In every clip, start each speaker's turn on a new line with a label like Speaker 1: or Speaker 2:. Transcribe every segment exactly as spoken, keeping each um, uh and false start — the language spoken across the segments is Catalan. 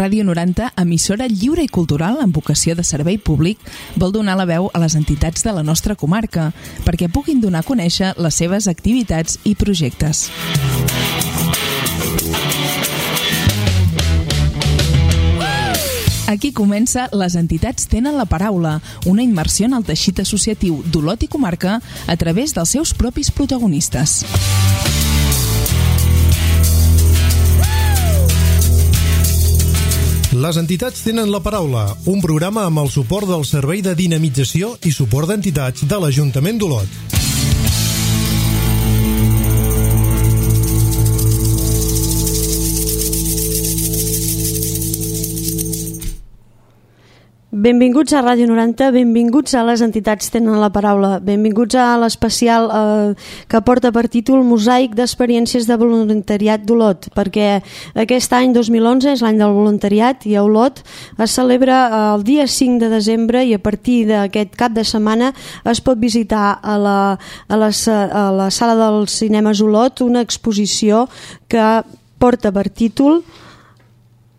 Speaker 1: Ràdio noranta, emissora lliure i cultural amb vocació de servei públic, vol donar la veu a les entitats de la nostra comarca perquè puguin donar a conèixer les seves activitats i projectes. Aquí comença Les entitats tenen la paraula, una immersió en el teixit associatiu d'Olot i comarca a través dels seus propis protagonistes.
Speaker 2: Les entitats tenen la paraula, un programa amb el suport del Servei de Dinamització i Suport d'Entitats de l'Ajuntament d'Olot.
Speaker 3: Benvinguts a Ràdio noranta, benvinguts a Les entitats tenen la paraula, benvinguts a l'especial eh, que porta per títol Mosaic d'experiències de voluntariat d'Olot, perquè aquest any dos mil onze és l'any del voluntariat i a Olot es celebra el dia cinc de desembre i a partir d'aquest cap de setmana es pot visitar a la, a la, a la sala dels cinemes Olot una exposició que porta per títol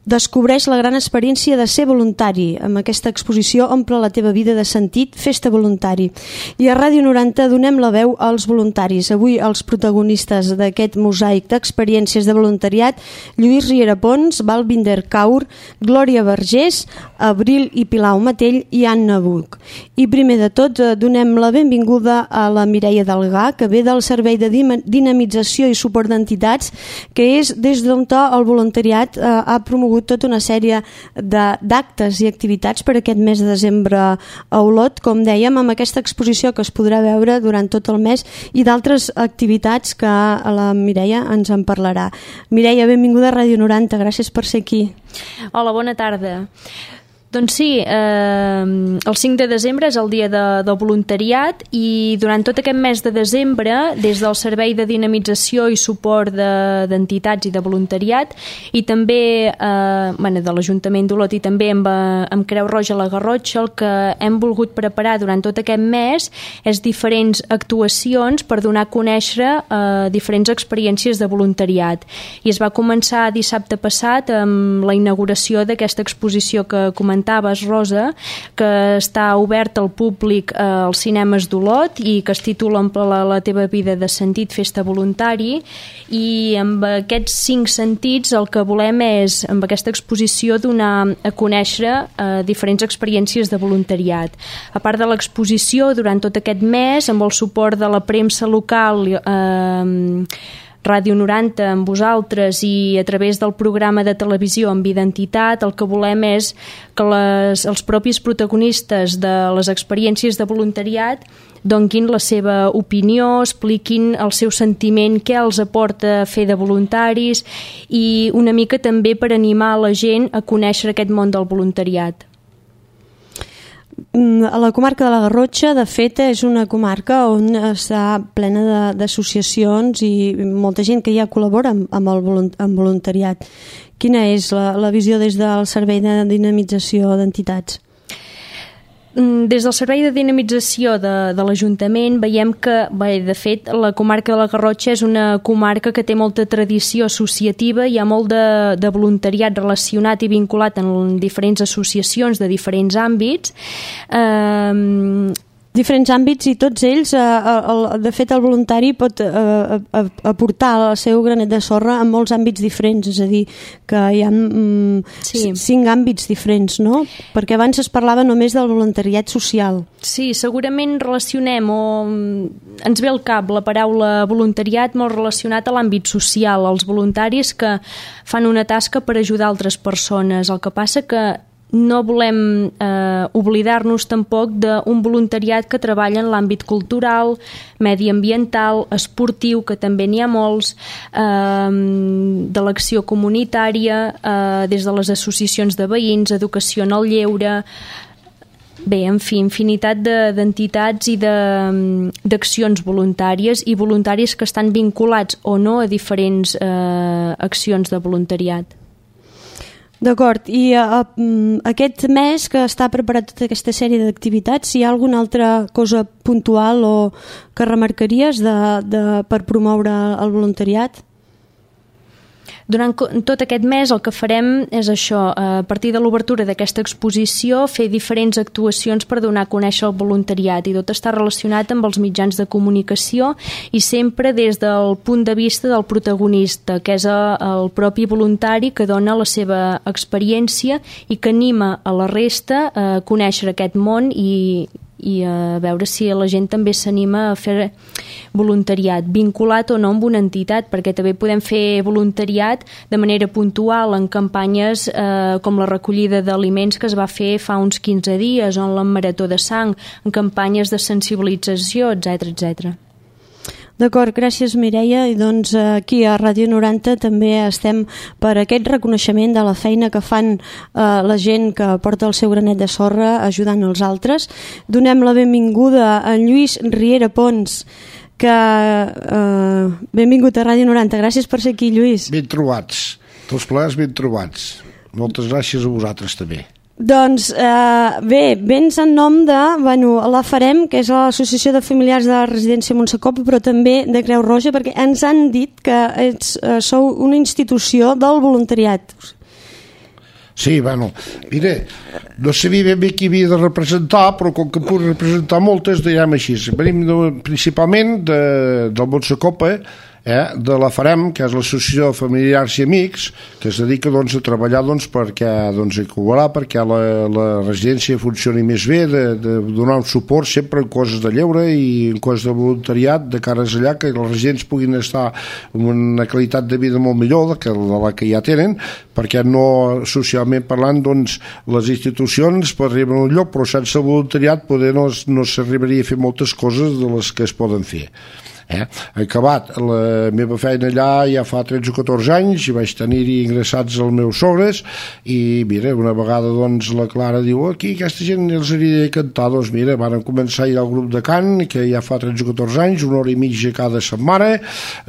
Speaker 3: Descobreix la gran experiència de ser voluntari. Amb aquesta exposició omple la teva vida de sentit, fes-te voluntari. I a Ràdio noranta donem la veu als voluntaris. Avui els protagonistes d'aquest mosaic d'experiències de voluntariat, Lluís Riera Pons, Balvinder Kaur, Glòria Vergés, Abril i Pilau Matell i Anna Buch. I primer de tot donem la benvinguda a la Mireia Delgà, que ve del Servei de Dinamització i Suport d'Entitats, que és des d'on el voluntariat eh, ha promogut tota una sèrie d'actes i activitats per aquest mes de desembre a Olot, com dèiem, amb aquesta exposició que es podrà veure durant tot el mes i d'altres activitats que la Mireia ens en parlarà. Mireia, benvinguda a Ràdio noranta, gràcies per ser aquí.
Speaker 4: Hola, bona tarda. Doncs sí, eh, el cinc de desembre és el dia de, del voluntariat i durant tot aquest mes de desembre, des del Servei de Dinamització i Suport d'Entitats de, i de Voluntariat i també eh, bueno, de l'Ajuntament d'Olot i també amb, amb Creu Roja a la Garrotxa, el que hem volgut preparar durant tot aquest mes és diferents actuacions per donar a conèixer eh, diferents experiències de voluntariat. I es va començar dissabte passat amb la inauguració d'aquesta exposició que comentàvem, Rosa, que està obert al públic eh, als cinemes d'Olot i que es titula la, la teva vida de sentit, fes-te voluntari, i amb aquests cinc sentits el que volem és, amb aquesta exposició, donar a conèixer eh, diferents experiències de voluntariat. A part de l'exposició, durant tot aquest mes, amb el suport de la premsa local, eh, Ràdio noranta amb vosaltres i a través del programa de televisió amb identitat, el que volem és que les, els propis protagonistes de les experiències de voluntariat donguin la seva opinió, expliquin el seu sentiment, què els aporta fer de voluntaris i una mica també per animar la gent a conèixer aquest món del voluntariat.
Speaker 3: A la comarca de la Garrotxa, de fet, és una comarca on està plena d'associacions i molta gent que ja col·labora amb, amb el volunt, amb voluntariat. Quina és la, la visió des del Servei de Dinamització d'Entitats?
Speaker 4: Des del Servei de Dinamització de, de l'Ajuntament veiem que, bé, de fet, la comarca de la Garrotxa és una comarca que té molta tradició associativa, hi ha molt de, de voluntariat relacionat i vinculat en diferents associacions de diferents àmbits. Eh,
Speaker 3: diferents àmbits i tots ells, eh, el, de fet el voluntari pot eh, aportar el seu granet de sorra en molts àmbits diferents, és a dir, que hi ha mm, sí. cinc àmbits diferents, no? Perquè abans es parlava només del voluntariat social.
Speaker 4: Sí, segurament relacionem o ens ve al cap la paraula voluntariat molt relacionat a l'àmbit social, als voluntaris que fan una tasca per ajudar altres persones. El que passa que no volem eh, oblidar-nos tampoc d'un voluntariat que treballa en l'àmbit cultural, mediambiental, esportiu, que també n'hi ha molts, eh, de l'acció comunitària, eh, des de les associacions de veïns, educació en el lleure. Bé, en fi, infinitat d'entitats i d'accions voluntàries i voluntaris que estan vinculats o no a diferents eh, accions de voluntariat.
Speaker 3: D'acord, i uh, aquest mes que està preparat tota aquesta sèrie d'activitats, hi ha alguna altra cosa puntual o que remarcaries de, de, per promoure el voluntariat?
Speaker 4: Durant tot aquest mes el que farem és això, a partir de l'obertura d'aquesta exposició, fer diferents actuacions per donar a conèixer el voluntariat, i tot està relacionat amb els mitjans de comunicació i sempre des del punt de vista del protagonista, que és el propi voluntari que dona la seva experiència i que anima a la resta a conèixer aquest món i, i a veure si la gent també s'anima a fer voluntariat, vinculat o no amb una entitat, perquè també podem fer voluntariat de manera puntual en campanyes eh, com la recollida d'aliments que es va fer fa uns quinze dies, o en la Marató de Sang, en campanyes de sensibilització, etcètera, etcètera.
Speaker 3: D'acord, gràcies Mireia, i doncs aquí a Ràdio noranta també estem per aquest reconeixement de la feina que fan eh, la gent que porta el seu granet de sorra ajudant els altres. Donem la benvinguda a en Lluís Riera Pons, que eh, benvingut a Ràdio noranta, gràcies per ser aquí, Lluís.
Speaker 5: Ben trobats, tots plegats ben trobats. Moltes gràcies a vosaltres també.
Speaker 3: Doncs eh, bé, vens en nom de, bueno, la FAREM, que és l'Associació de Familiars de la Residència Montsecopa, però també de Creu Roja, perquè ens han dit que ets, eh, sou una institució del voluntariat.
Speaker 5: Sí, bueno, mira, no sabia ben bé qui havia de representar, però com que puc representar moltes, diguem així. Venim de, principalment de, del Montsecopa, eh, de la FAREM, que és l'Associació de Familiars i Amics, que es dedica doncs, a treballar doncs, perquè doncs, a col·laborar perquè la, la residència funcioni més bé, de, de donar un suport sempre en coses de lleure i en coses de voluntariat de cares allà, que els residents puguin estar amb una qualitat de vida molt millor de, que, de la que ja tenen, perquè no, socialment parlant, doncs, les institucions per arribar a un lloc, però sense voluntariat poder no, no s'arribaria a fer moltes coses de les que es poden fer. Eh? He acabat la meva feina allà ja fa tretze o catorze anys i vaig tenir-hi ingressats els meus sogres i mira, una vegada doncs la Clara diu, aquí aquesta gent els hauria de cantar, doncs mira, van començar ja el grup de cant, que ja fa tretze o catorze anys, una hora i mitja cada setmana,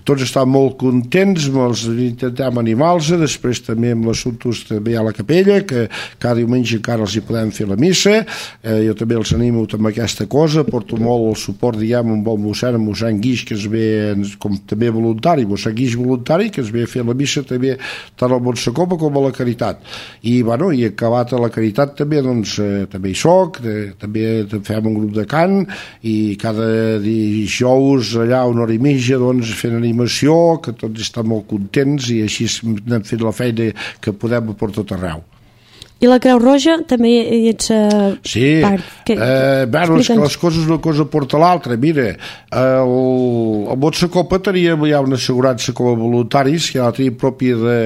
Speaker 5: tots estan molt contents, els intentem animar-los, després també amb l'assumptes també a la capella, que cada diumenge encara els hi podem fer la missa, eh, jo també els animo amb aquesta cosa, porto molt el suport, diguem, amb el mossèn, amb mossèn Guix, que es ve com també voluntari, mossèn Guix voluntari, que es ve a fer la missa també tant al Montsecopa com a la Caritat. I, bueno, i acabat a la Caritat també, doncs, eh, també hi soc, eh, també fem un grup de cant i cada dijous allà una hora i mitja, doncs, fent animació, que tots estan molt contents i així anem fent la feina que podem per tot arreu.
Speaker 3: I la Creu Roja també hi ets uh,
Speaker 5: sí,
Speaker 3: part. Que,
Speaker 5: eh, bueno, és que les coses una cosa porta l'altra. Mira, el, el Montsecopa tenia ja una assegurança com a voluntaris, que ja la tenia pròpia de,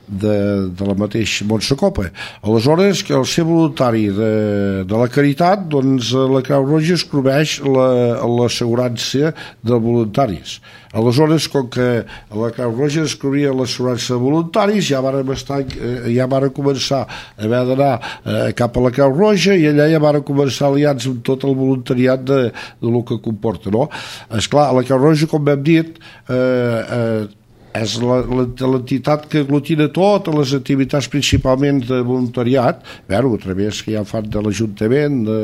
Speaker 5: de, de la mateixa Montsecopa. Aleshores, que al ser voluntari de, de la Caritat, doncs la Creu Roja es cobreix l'assegurança de voluntaris. Aleshores, com que la Creu Roja es cobria l'assegurança de voluntaris, ja van, estar, ja van començar a haver d'anar eh, cap a la Creu Roja i allà ja van començar aliats amb tot el voluntariat de, de lo que comporta, no? Esclar, la Creu Roja, com hem dit, eh, eh, és l'entitat que aglutina totes les activitats principalment de voluntariat, bueno, a través que ja fan de l'Ajuntament, de,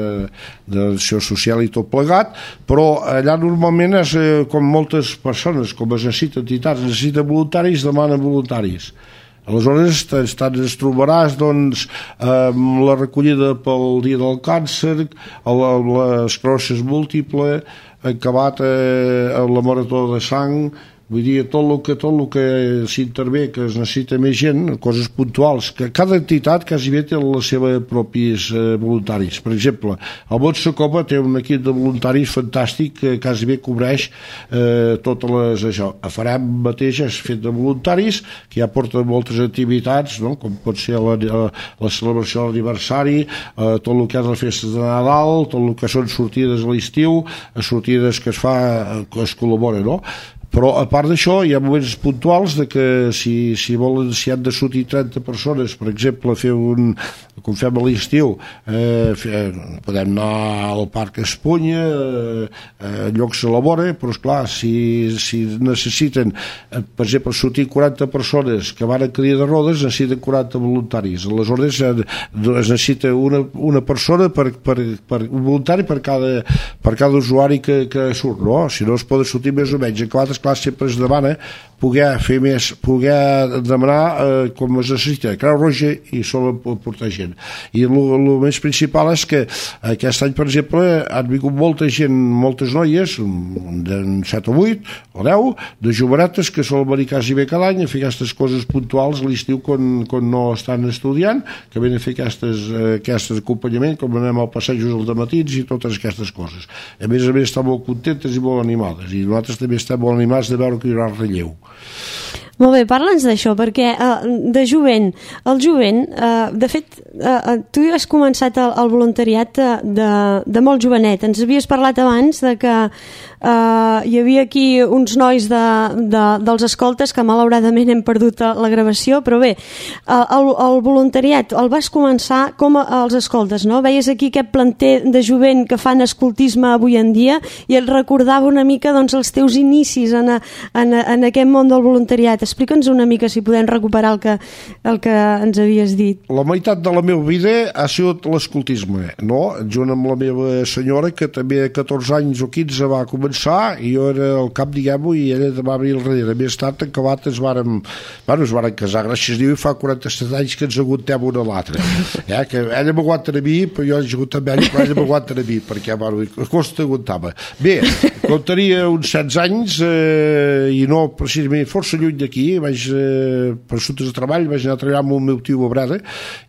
Speaker 5: de l'acció social i tot plegat, però allà normalment és com moltes persones, com es necessita entitats, necessiten voluntaris, demanen voluntaris. Aleshores es trobaràs doncs, amb la recollida pel dia del càncer, l'esclerosi múltiple, acabat a la marató de sang, vull dir, tot el que, tot el que s'intervé, que es necessita més gent, coses puntuals, que cada entitat quasi bé té les seves propis eh, voluntaris. Per exemple, el Montsecopa té un equip de voluntaris fantàstic que quasi bé cobreix eh, totes les... Això. A FAREM mateix és fet de voluntaris, que ja porten moltes activitats, no? Com pot ser la, la, la celebració de l'aniversari, eh, tot el que és les festes de Nadal, tot el que són sortides a l'estiu, sortides que es fa, que es col·labora, no? Però a part d'això hi ha moments puntuals de que si, si volen, si han de sortir trenta persones, per exemple, fer un, com fem a l'estiu, eh, podem anar al Parc Espunya, eh, eh, llocs a la vora, però esclar, si, si necessiten, eh, per exemple, sortir quaranta persones que van a cadira de rodes, necessiten quaranta voluntaris. Aleshores eh, es necessita una, una persona per, per, per, un voluntari per cada, per cada usuari que, que surt, no? Si no es poden sortir més o menys. Acabat esclar, sempre es demana poder fer més, poder demanar eh, com es necessita, Creu Roja i sol portar gent. I el més principal és que aquest any, per exemple, han vingut molta gent, moltes noies, de set o vuit o deu, de jovenetes que solen venir quasi bé cada any a fer aquestes coses puntuals a l'estiu quan, quan no estan estudiant, que venen a fer aquestes, aquestes acompanyament, com anem al passejos als dematins i totes aquestes coses. A més a més estan molt contentes i molt animades, i nosaltres també estem molt animats de veure que hi haurà relleu.
Speaker 3: Molt bé, parla'ns d'això, perquè uh, de jovent, el jovent, uh, de fet, uh, tu has començat el, el voluntariat de, de, de molt jovenet. Ens havies parlat abans de que uh, hi havia aquí uns nois de, de, dels escoltes que malauradament hem perdut la gravació, però bé, uh, el, el voluntariat el vas començar com a, als escoltes, no? Veies aquí aquest planter de jovent que fan escoltisme avui en dia i et recordava una mica doncs, els teus inicis en, a, en, a, en aquest món del voluntariat. Explica'ns una mica si podem recuperar el que, el que ens havies dit.
Speaker 5: La meitat de la meva vida ha sigut l'escoltisme, no? Junt amb la meva senyora, que també a catorze anys o quinze va començar, i jo era el cap, diguem-ho, i ella va venir al darrere. Més tard, acabat, es varen, bueno, es varen casar, gràcies a Déu, i fa quaranta-set anys que ens aguantem una a l'altra. Eh? Que ella m'aguanta a mi, però jo he agut amb ella, però ella m'aguanta a mi, perquè, bueno, costa aguantava. Bé, quan tenia uns setze anys, eh, i no precisament força lluny d'aquí, vaig, eh, per assumptes de treball, vaig anar a treballar amb el meu tio a Breda,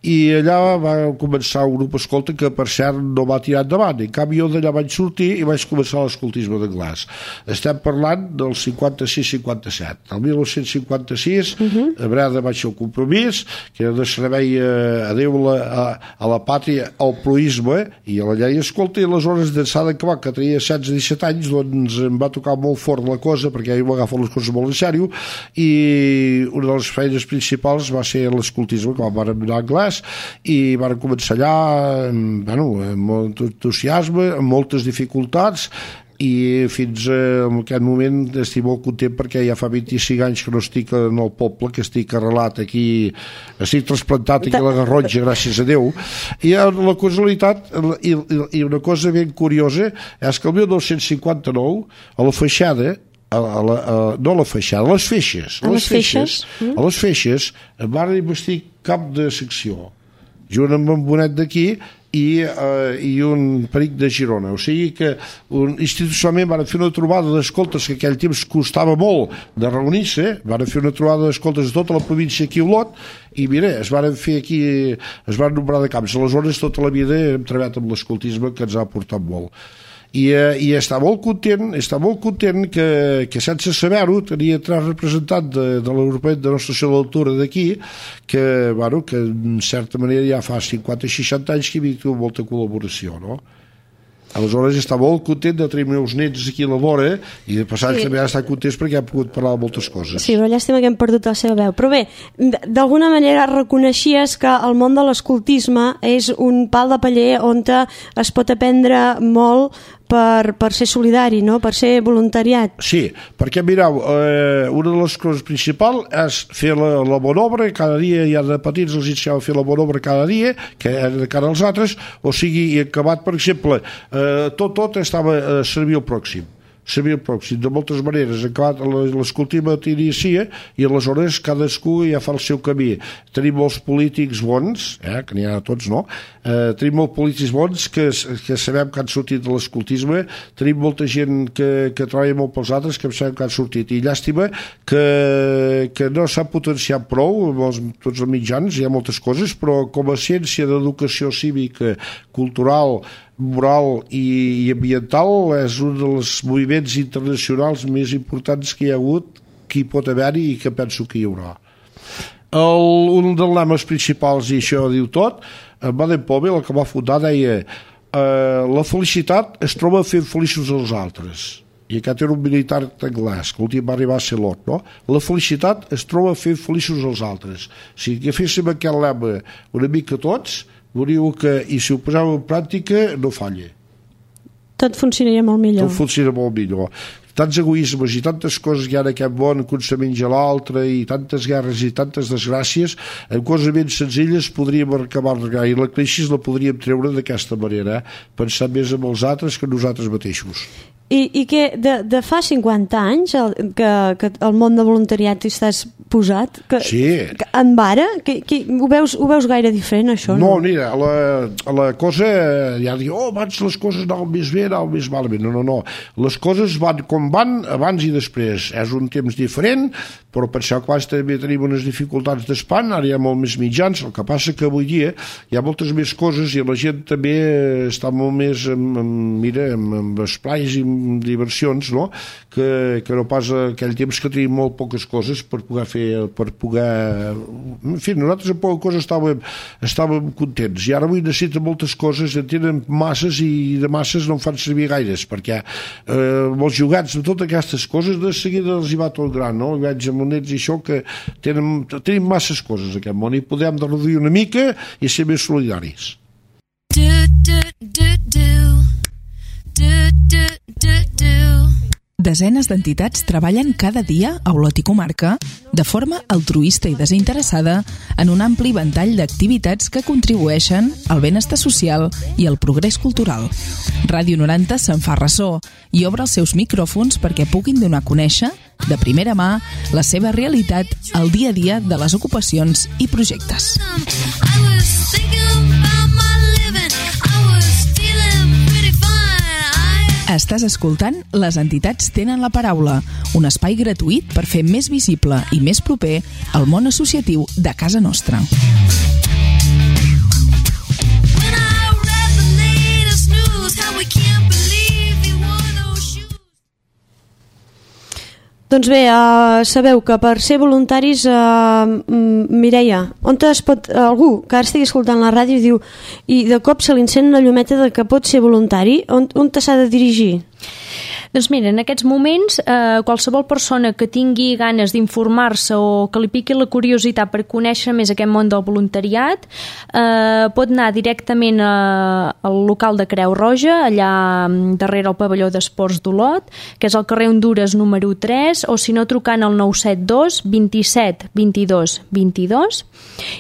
Speaker 5: i allà va començar un grup escolta que, per cert, no va tirar endavant. En canvi, jo d'allà vaig sortir i vaig començar l'escoltisme d'anglès. Estem parlant del cinquanta-sis cinquanta-set. El dinou cinquanta-sis, uh-huh. a Breda vaig fer el compromís, que era de servei a, a Déu, a, a la pàtria, al proisme i a la llei escolta, i aleshores d'ençà d'acabar, que tenia setze o disset anys, doncs em va tocar molt fort la cosa, perquè jo m'agafo les coses molt en sèrio, i una de les feines principals va ser l'escoltisme, que vam anar a anglès, i vam començar allà, bueno, amb molt entusiasme, amb moltes dificultats, i fins a aquest moment estic molt content perquè ja fa vint-i-cinc anys que no estic en el poble, que estic arrelat aquí, estic trasplantat aquí a la Garrotxa, gràcies a Déu. I la causalitat i, i una cosa ben curiosa és que el dinou cinquanta-nou a la feixada, a la, a la, a, no a la feixada, a les feixes, a, a les feixes, feixes a les feixes em van investir cap de secció, junt amb un bonet d'aquí i, uh, i un peric de Girona. O sigui que un, institucionalment van fer una trobada d'escoltes que aquell temps costava molt de reunir-se, van fer una trobada d'escoltes de tota la província aquí a Olot, i mira, es van fer aquí, es van nombrar de camps. Aleshores tota la vida hem treballat amb l'escoltisme, que ens ha portat molt. I, eh, i està molt content, està molt content que, que sense saber-ho tenia tres representants de, de l'Europeu de Nostra Senyor d'Altura d'aquí, que, bueno, que en certa manera ja fa cinquanta o seixanta anys que hi ha molta col·laboració, no? Aleshores està molt content de tenir meus nets aquí a la vora, i de passar sí. també ha estat content perquè ha pogut parlar de moltes coses.
Speaker 3: Sí, però llàstima que hem perdut la seva veu. Però bé, d'alguna manera reconeixies que el món de l'escoltisme és un pal de paller on es pot aprendre molt per, per ser solidari, no? Per ser voluntariat.
Speaker 5: Sí, perquè mireu, eh, una de les coses principals és fer la, la bona obra, cada dia ja de petits els ensenyava a fer la bona obra cada dia, que de cara als altres, o sigui, i acabat, per exemple, eh, tot, tot estava a servir al pròxim. Servir el pròxim, de moltes maneres. L'escoltisme t'inicia i aleshores cadascú ja fa el seu camí. Tenim molts polítics bons, eh, que n'hi ha tots, no? Eh, tenim molts polítics bons que, que sabem que han sortit de l'escoltisme, tenim molta gent que, que treballa molt pels altres que sabem que han sortit, i llàstima que, que no s'ha potenciat prou amb els, tots els mitjans, hi ha moltes coses, però com a ciència d'educació cívica, cultural, moral i, i ambiental és un dels moviments internacionals més importants que hi ha hagut, que hi pot haver-hi i que penso que hi haurà. El, un dels lemes principals, i això diu tot, en Baden-Powell, el que va fundar, deia eh, la felicitat es troba fent feliços els altres. I aquest era un militar anglès, que l'últim va arribar a ser Lot, no? La felicitat es troba fent feliços els altres. Si agaféssim aquest lema una mica tots, veuríeu que, i si ho poseu en pràctica, no falla.
Speaker 3: Tot funcionaria molt millor.
Speaker 5: Tot funciona molt millor. Tants egoismes i tantes coses que hi ha en aquest món, que un se menja l'altre, i tantes guerres i tantes desgràcies, amb coses ben senzilles podríem acabar regar, i la crisi la podríem treure d'aquesta manera, eh? Pensar més en els altres que nosaltres mateixos.
Speaker 3: I, i que de, de fa cinquanta anys el, que, que el món de voluntariat hi estàs posat? Que,
Speaker 5: sí.
Speaker 3: Que en vara? Que, que, ho, veus, ho veus gaire diferent, això?
Speaker 5: No,
Speaker 3: no?
Speaker 5: mira, la, la cosa, ja diu, oh, abans les coses anaven més bé, anaven més malament. No, no, no. Les coses van com van, abans i després. És un temps diferent, però penseu que abans també tenim unes dificultats d'espant, ara hi ha molt més mitjans, el que passa que avui dia hi ha moltes més coses i la gent també està molt més, amb, amb, mira, amb, amb esplais i amb diversions, no? Que, que no pas aquell temps que tenim molt poques coses per poder fer, per poder... En fi, nosaltres amb poques coses estàvem, estàvem contents, i ara avui necessiten moltes coses, en tenen masses i de masses no en fan servir gaires, perquè eh, els jugats de totes aquestes coses de seguida els hi va tot gran, no? I veig amb nets i això que tenen, tenim masses coses en aquest món i podem de reduir una mica i ser més solidaris.
Speaker 6: Do, do, do, do. Do, do, do, do.
Speaker 1: Desenes d'entitats treballen cada dia a Olot i comarca de forma altruista i desinteressada en un ampli ventall d'activitats que contribueixen al benestar social i al progrés cultural. Ràdio noranta se'n fa ressò i obre els seus micròfons perquè puguin donar a conèixer, de primera mà, la seva realitat al dia a dia de les ocupacions i projectes.
Speaker 6: I was thinking about my living. I was feeling pretty fine. I...
Speaker 1: Estàs escoltant Les entitats tenen la paraula, un espai gratuït per fer més visible i més proper el món associatiu de casa nostra.
Speaker 6: When I read the latest news, how we can't believe he wore those shoes.
Speaker 3: Doncs bé, uh, sabeu que per ser voluntaris, uh, Mireia, on es pot, uh, algú que ara estigui escoltant la ràdio i diu i de cop se li encén una llumeta de que pot ser voluntari, on, on s'ha de dirigir?
Speaker 4: Doncs mira, en aquests moments eh, qualsevol persona que tingui ganes d'informar-se o que li piqui la curiositat per conèixer més aquest món del voluntariat eh, pot anar directament a, al local de Creu Roja, allà darrere el pavelló d'esports d'Olot, que és al carrer Hondures número tres, o si no trucant al nou set dos, vint-i-set, vint-i-dos, vint-i-dos,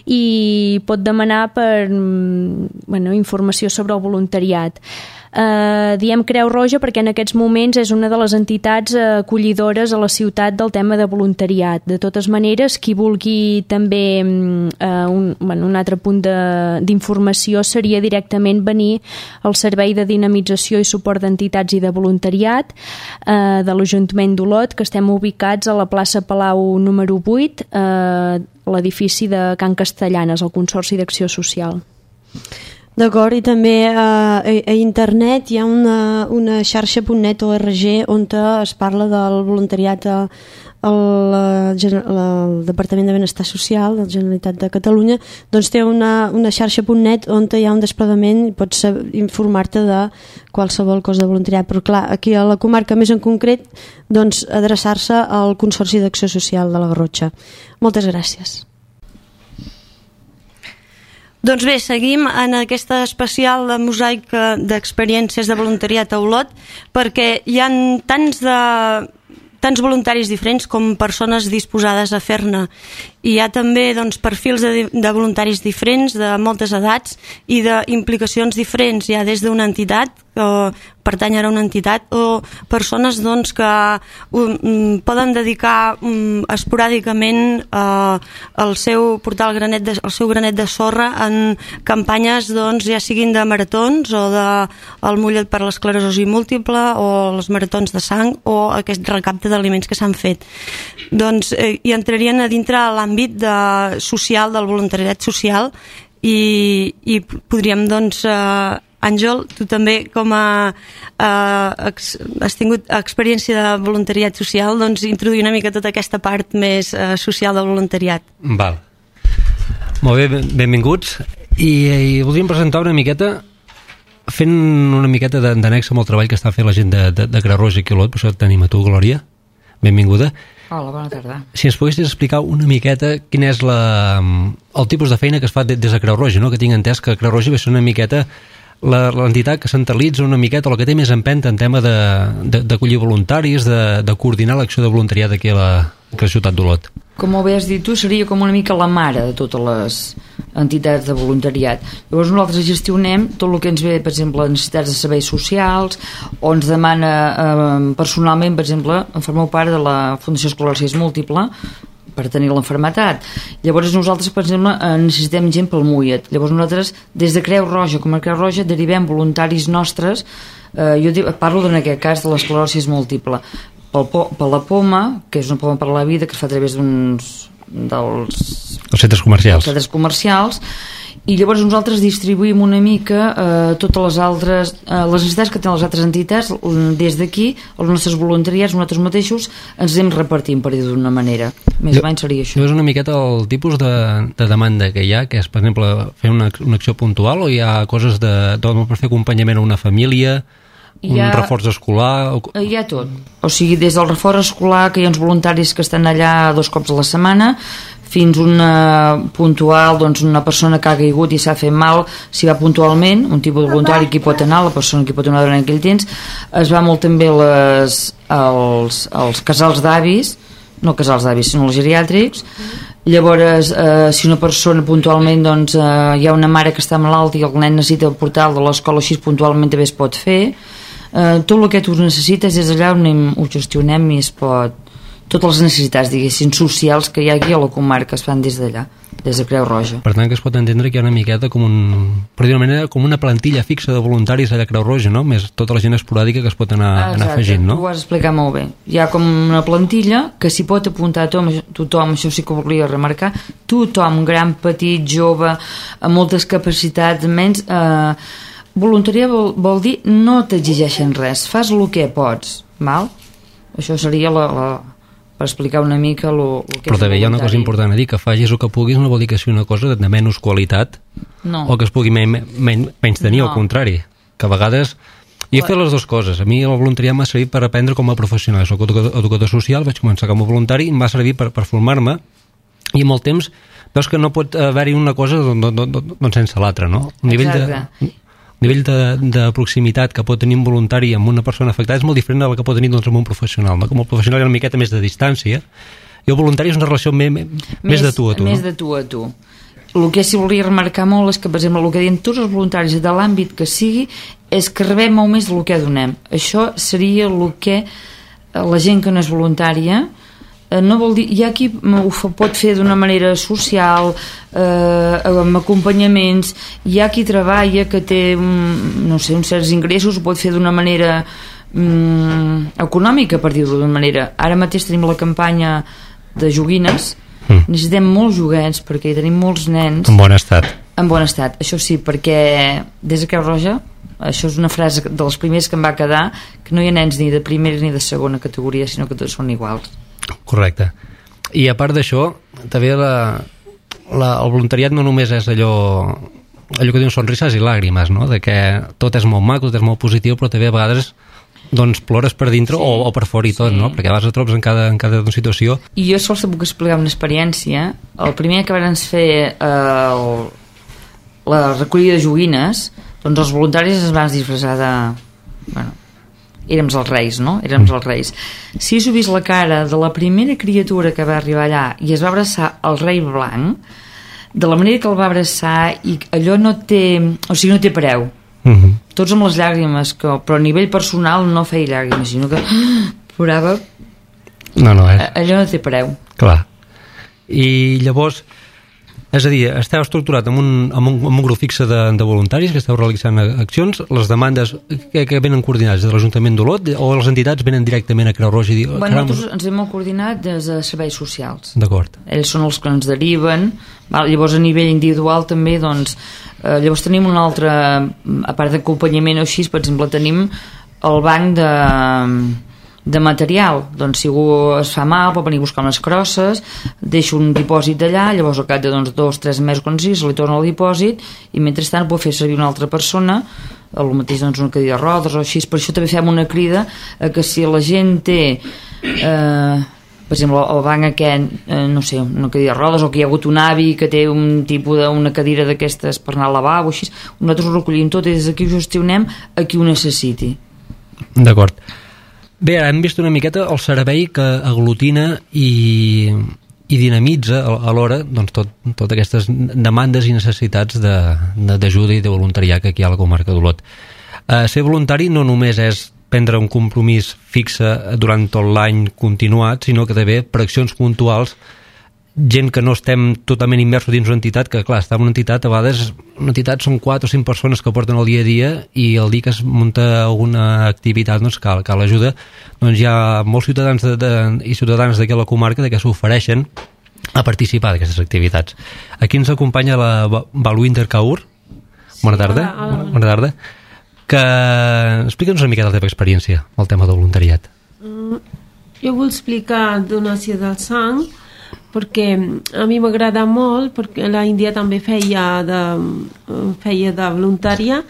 Speaker 4: i pot demanar per bueno, informació sobre el voluntariat. Uh, diem Creu Roja perquè en aquests moments és una de les entitats acollidores a la ciutat del tema de voluntariat. De totes maneres, qui vulgui també uh, un, bueno, un altre punt d'informació seria directament venir al Servei de Dinamització i Suport d'Entitats i de Voluntariat uh, de l'Ajuntament d'Olot, que estem ubicats a la plaça Palau número vuit, uh, a l'edifici de Can Castellanes, al Consorci d'Acció Social.
Speaker 3: D'acord, i també eh, a, a internet hi ha una, una xarxa punt net org on es parla del voluntariat al, al, al Departament de Benestar Social de la Generalitat de Catalunya, doncs té una, una xarxa punt net on hi ha un desplegament i pots informar-te de qualsevol cosa de voluntariat, però clar, aquí a la comarca més en concret, doncs adreçar-se al Consorci d'Acció Social de la Garrotxa. Moltes gràcies. Doncs bé, seguim en aquesta especial de mosaic d'experiències de voluntariat a Olot, perquè hi ha tants, de, tants voluntaris diferents com persones disposades a fer-ne. I hi ha també doncs, perfils de, de voluntaris diferents, de moltes edats i d'implicacions diferents. Hi ha des d'una entitat, o pertànyer a una entitat, o persones doncs, que um, poden dedicar um, esporàdicament uh, el seu, portar el, granet de, el seu granet de sorra en campanyes doncs, ja siguin de maratons o de el mullet per l'esclerosi múltiple o els maratons de sang o aquest recapte d'aliments que s'han fet. Doncs eh, hi entrarien a dintre l'àmbit de, social, del voluntariat social i, i podríem doncs eh, Àngel, tu també com a eh, ex, has tingut experiència de voluntariat social, doncs introduir una mica tota aquesta part més eh, social del voluntariat.
Speaker 7: Val. Molt bé, benvinguts. I, i voldríem presentar una miqueta fent una miqueta d'annex amb el treball que està fent la gent de, de, de Creu Roja i Olot, per això tenim a tu, Glòria. Benvinguda.
Speaker 8: Hola, bona tarda.
Speaker 7: Si ens poguessis explicar una miqueta quin és la, el tipus de feina que es fa des de Creu Roja, no? Que tinc entès que Creu Roja va ser una miqueta l'entitat que centralitza una miqueta, o la que té més empenta en tema d'acollir voluntaris, de, de coordinar l'acció de voluntariat aquí a la, a la ciutat d'Olot.
Speaker 8: Com molt bé has dit tu, seria com una mica la mare de totes les entitats de voluntariat. Llavors nosaltres gestionem tot el que ens ve, per exemple, necessitats de serveis socials, o ens demana eh, personalment, per exemple, formeu part de la Fundació Esclerosi Múltiple per tenir l'enfermetat. Llavors nosaltres, per exemple, eh, necessitem gent pel M U I E T. Llavors nosaltres, des de Creu Roja, com a Creu Roja, derivem voluntaris nostres, eh, jo dic, parlo en aquest cas de l'esclerosi múltiple, pel, per la POMA, que és una POMA per la vida que es fa a través d'uns dels
Speaker 7: els centres comercials.
Speaker 8: centres comercials, i llavors nosaltres distribuïm una mica eh, totes les altres eh, les necessitats que tenen les altres entitats. Des d'aquí, els nostres voluntariats, nosaltres mateixos ens anem repartint, per dir d'una manera. Més o menys seria això.
Speaker 7: És una miqueta el tipus de, de demanda que hi ha, que és, per exemple, fer una, una acció puntual, o hi ha coses de, de per fer acompanyament a una família, un ha, reforç escolar? O...
Speaker 8: Hi ha tot. O sigui, des del reforç escolar, que hi ha uns voluntaris que estan allà dos cops a la setmana, fins una puntual, doncs una persona que ha caigut i s'ha fet mal, s'hi va puntualment, un tipus de voluntari que hi pot anar, la persona que hi pot anar durant aquell temps. Es va molt també les, els, els casals d'avis, no casals d'avis, sinó els geriàtrics. Llavors, eh, si una persona puntualment, doncs, eh, hi ha una mare que està malalta i el nen necessita portar-lo de l'escola, així puntualment també es pot fer. Eh, tot el que tu necessites és allà on anem, ho gestionem i es pot... Totes les necessitats, diguéssim, socials que hi ha aquí a la comarca es fan des d'allà, des de Creu Roja.
Speaker 7: Per tant, que es pot entendre que hi ha una miqueta com un... per dir-ho manera, com una plantilla fixa de voluntaris allà a Creu Roja, no? Més tota la gent esporàdica que es pot anar, anar afegint, no?
Speaker 8: Ho has explicat molt bé. Hi ha com una plantilla que s'hi pot apuntar a tothom, tothom, això sí que volia remarcar, tothom, gran, petit, jove, amb moltes capacitats, menys... Eh, voluntariat vol, vol dir no t'exigeixen res, fas el que pots, val? Això seria la... la per explicar una mica lo, lo que
Speaker 7: però també hi ha una cosa important a dir, que facis el que puguis no vol dir que sigui una cosa de menys qualitat,
Speaker 8: no.
Speaker 7: O que es pugui men, men, menys tenir, no. Al contrari, que a vegades jo he fet les dues coses. A mi el voluntariat m'ha servit per aprendre com a professional. Soc educador, educador social, vaig començar com a voluntari i em va servir per, per formar-me, i amb el temps veus que no pot haver-hi una cosa doncs, doncs, doncs sense l'altra, no? Un nivell de... El nivell de, de proximitat que pot tenir un voluntari amb una persona afectada és molt diferent del que pot tenir doncs, amb un professional, no? Com el professional hi ha una miqueta més de distància i el voluntari és una relació me, me, més, més de tu a tu.
Speaker 8: Més
Speaker 7: no?
Speaker 8: de tu a tu. El que sí volia remarcar molt és que, per exemple, el que diuen tots els voluntaris de l'àmbit que sigui és que rebem molt més del que donem. Això seria el que la gent que no és voluntària no vol dir, hi ha qui ho pot fer d'una manera social, eh, amb acompanyaments, hi ha qui treballa que té no sé, uns certs ingressos, ho pot fer d'una manera mm, econòmica, per dir-ho d'una manera. Ara mateix tenim la campanya de joguines, mm. necessitem molts joguets perquè hi tenim molts nens
Speaker 7: en bon estat.
Speaker 8: En bon estat, això sí, perquè des de Creu Roja, això és una frase de les primeres que em va quedar, que no hi ha nens ni de primera ni de segona categoria, sinó que tots són iguals.
Speaker 7: Correcte. I a part d'això, també la, la, el voluntariat no només és allò allò que diuen sonrises i làgrimes, no? De que tot és molt maco, tot és molt positiu, però també a vegades doncs plores per dintre, sí. o, o per fora i tot, sí. No? Perquè a vegades et trobes en cada, en cada situació.
Speaker 8: I jo sols puc explicar una experiència. El primer que van fer eh, el, la recollida de joguines, doncs els voluntaris es van disfressar de... Bueno, érem els reis, no? Érem els reis. Si us heu vist la cara de la primera criatura que va arribar allà i es va abraçar el rei blanc, de la manera que el va abraçar, i allò no té... O sigui, no té preu. Uh-huh. Tots amb les llàgrimes, que, però a nivell personal no feia llàgrimes, sinó que plorava.
Speaker 7: No, no, és...
Speaker 8: Allò no té preu.
Speaker 7: Clar. I llavors... És a dir, esteu estructurat amb un, amb un, amb un grup fixe de, de voluntaris que esteu realitzant accions, les demandes que, que venen coordinades de l'Ajuntament d'Olot o les entitats venen directament a Creu Roja? I dir,
Speaker 8: bueno, nosaltres ens hem molt coordinat des de serveis socials.
Speaker 7: D'acord.
Speaker 8: Ells són els que ens deriven, val? Llavors a nivell individual també, doncs, eh, llavors tenim un altre, a part d'acompanyament o així, per exemple, tenim el banc de... de material, doncs si algú es fa mal pot venir a buscar unes crosses, deixa un dipòsit d'allà, llavors al cap de doncs, dos, tres mesos quan sigui, se li torna el dipòsit i mentrestant pot fer servir una altra persona, el mateix doncs una cadira de rodes o així. Per això també fem una crida a que si la gent té eh, per exemple el banc aquest, eh, no sé, una cadira de rodes, o que hi ha hagut un avi que té un tipus d'una cadira d'aquestes per anar al lavabo, així, nosaltres ho recollim tot i des d'aquí ho gestionem a qui ho necessiti.
Speaker 7: D'acord. Bé, hem vist una miqueta el servei que aglutina i, i dinamitza alhora doncs, tot, totes aquestes demandes i necessitats d'ajuda i de voluntariat que aquí hi ha a la comarca d'Olot. Eh, ser voluntari no només és prendre un compromís fixe durant tot l'any continuat, sinó que també per accions puntuals, gent que no estem totalment immersos dins una entitat, que clar, està en una entitat, a vegades una entitat són quatre o cinc persones que porten el dia a dia i el dia que es munta alguna activitat doncs cal, cal ajuda, doncs hi ha molts ciutadans de, de, i ciutadanes d'aquí a la comarca que s'ofereixen a participar d'aquestes activitats. Aquí ens acompanya la Balwinder Kaur. Sí, bona tarda. Hola, hola. Bona tarda. Que explica'ns una mica la teva experiència al tema del voluntariat.
Speaker 9: Mm, jo vull explicar donació del sang perquè a mi m'agrada molt, perquè la Índia també feia de, feia de voluntària,